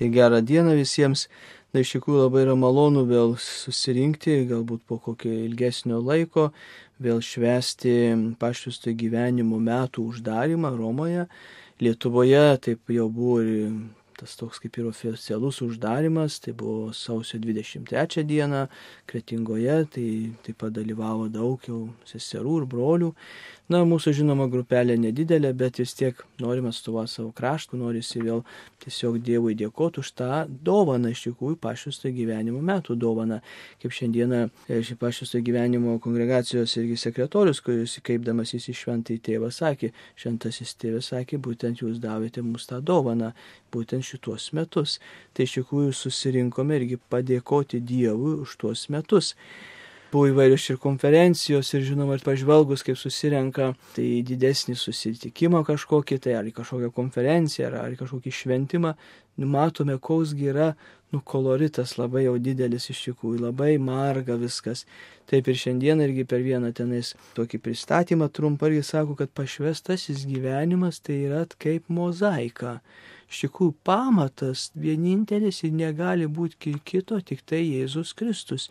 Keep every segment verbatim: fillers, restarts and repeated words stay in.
Tai gerą dieną visiems. Na, iš tikrųjų labai yra malonu vėl susirinkti, galbūt po kokio ilgesnio laiko, vėl švęsti pašvęstojo gyvenimo metų uždarimą Romoje. Lietuvoje taip jau buvo ir tas toks kaip ir oficialus uždarimas, tai buvo sausio dvidešimt trečią dieną Kretingoje, tai taip pat dalyvavo daug jau seserų ir brolių. Na, mūsų žinoma grupelė nedidelė, bet vis tiek norim atstovauti savo kraštų, norisi vėl tiesiog Dievui dėkoti už tą dovaną, iš tikrųjų pašvęstojo gyvenimo metų dovaną. Kaip šiandieną ši pašvęstojo gyvenimo kongregacijos irgi sekretorius, kuris įkaipdamas į šventąjį tėvą sakė, šventasis tėvas sakė, būtent jūs davėte mums tą dovaną, būtent šitos metus. Tai iš tikrųjų susirinkome irgi padėkoti Dievui už tuos metus. Buvo įvairios ir konferencijos ir žinoma, ir pažvelgus, kaip susirenka, tai didesnį susitikimą kažkokį, tai ar į kažkokią konferenciją, ar, ar į kažkokį šventimą, matome, koksgi yra, nu, koloritas labai jau didelis iš tikrųjų, labai marga viskas. Taip ir šiandien irgi per vieną tenais tokį pristatymą trumpą irgi sako, kad pašvęstasis gyvenimas tai yra kaip mozaika. Iš tikrųjų pamatas vienintelis ir negali būti kito, tik tai Jėzus Kristus.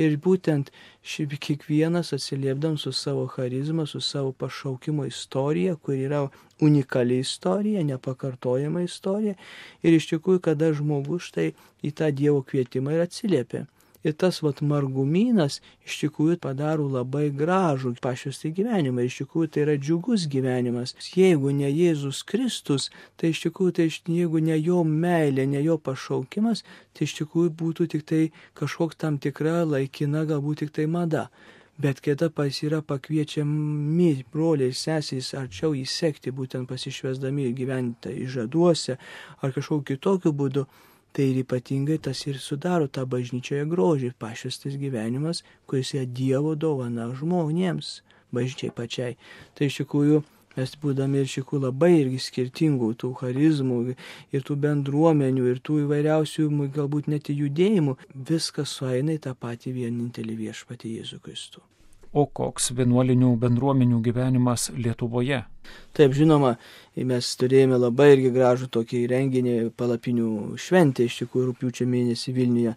Ir būtent ši, kiekvienas atsiliepdam su savo charizma, su savo pašaukimo istorija, kur yra unikali istorija, nepakartojama istorija. Ir iš tikrųjų, kada žmogus štai į tą Dievo kvietimą ir atsiliepia. Ir tas vat margumynas iš tikrųjų padaro labai gražų pašvęstąjį gyvenimą. Iš tikrųjų tai yra džiugus gyvenimas. Jeigu ne Jėzus Kristus, tai iš tikrųjų, tai jeigu ne jo meilė, ne jo pašaukimas, tai iš tikrųjų būtų tik tai kažkoks tam tikra laikina, galbūt tik tai mada. Bet kada pas yra pakviečiami broliai ir sesės arčiau įsekti, būtent pasišvęsdami ir gyventi įžaduose ar kažkokiu kitokiu būdu, tai ir ypatingai tas ir sudaro tą bažnyčioje grožį, pašvęstas gyvenimas, kuris yra Dievo dovana žmonėms, bažnyčiai pačiai. Tai iš tikrųjų mes būdami ir iš tikrųjų labai irgi skirtingų tų charizmų ir tų bendruomenių ir tų įvairiausių galbūt net judėjimų, viskas sueina į tą patį vienintelį viešpatį Jėzų Kristų. O koks vienuolinių bendruomenių gyvenimas Lietuvoje? Taip, žinoma, mes turėjome labai irgi gražų tokį renginį palapinių šventę, iš tikrųjų rugpjūčio mėnesį Vilniuje.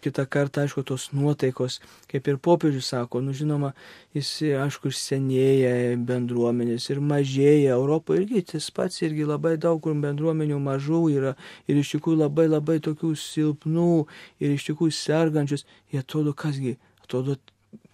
Kitą kartą, aišku, tos nuotaikos, kaip ir popiežius sako, nu žinoma, jis, aišku, senėja bendruomenės ir mažėja. Europoje irgi tas pats, irgi labai daug kur bendruomenių mažų yra ir iš tikrųjų labai labai tokių silpnų ir iš tikrųjų sergančius. Jie atrodo, kasgi, atrodo,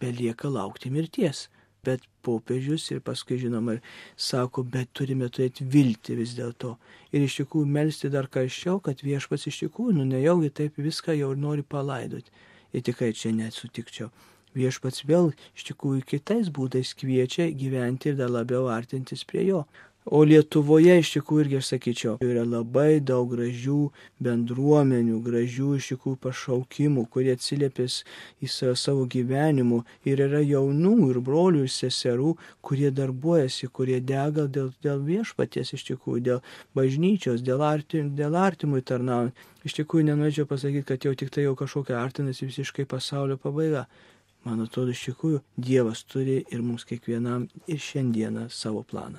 belieka laukti mirties. Bet popiežius ir paskui, žinoma, sako, bet turime turėti viltį vis dėlto. Ir iš tikrųjų melsti dar karščiau, kad viešpats iš tikrųjų, nu nejaugi taip viską jau nori palaidoti. Ir tikrai čia net sutikčiau. Viešpats vėl iš tikrųjų kitais būdais kviečia gyventi ir dar labiau artintis prie jo. O Lietuvoje iš tikrųjų irgi, aš sakyčiau, yra labai daug gražių bendruomenių, gražių iš tikrųjų pašaukimų, kurie atsiliepės į savo gyvenimu. Ir yra jaunų ir brolių ir seserų, kurie darbuojasi, kurie dega dėl, dėl viešpaties iš tikrųjų, dėl bažnyčios, dėl, artim, dėl artimui tarnaujant. Iš tikrųjų nenorėčiau pasakyti, kad jau tik tai jau kažkokia artinasi visiškai pasaulio pabaiga. Man atrodo, iš tikrųjų Dievas turi ir mums kiekvienam ir šiandieną savo planą.